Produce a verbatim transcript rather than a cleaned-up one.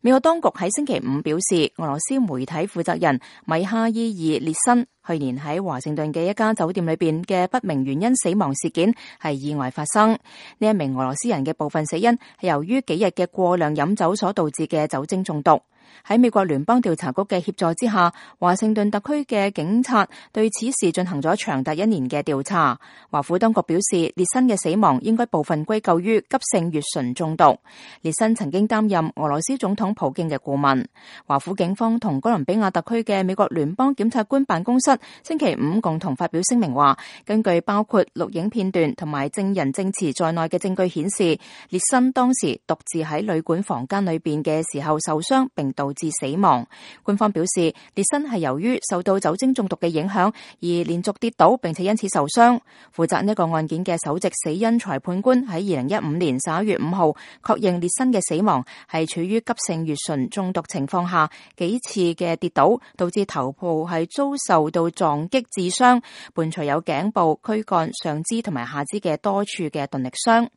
美國當局喺星期五表示，俄羅斯媒體負責人米哈伊爾列申去年喺華盛頓嘅一家酒店裏邊嘅不明原因死亡事件係意外發生。呢一名俄羅斯人嘅部分死因係由於幾日嘅過量飲酒所導致嘅酒精中毒。喺美國聯邦調查局嘅協助之下，華盛頓特區嘅警察對此事進行咗長達一年嘅調查。華府當局表示，列申嘅死亡應該部分歸咎於急性乙醇中毒。列申曾經擔任俄羅斯總統普京嘅顧問。華府警方同哥倫比亞特區嘅美國聯邦檢察官辦公室星期五共同發表聲明話，根據包括錄影片段同埋證人證詞在內嘅證據顯示，列申當時獨自喺旅館房間裏邊嘅時候受傷，並導致死亡。官方表示，列申係由於受到酒精中毒嘅影響而連續跌倒，並且因此受傷。負責呢個案件嘅首席死因裁判官喺二零一五年十一月五號確認列申嘅死亡係處於急性乙醇中毒情況下幾次嘅跌倒，導致頭部係遭受到撞擊致傷，伴隨有頸部、軀幹、上肢同埋下肢嘅多處嘅鈍力傷。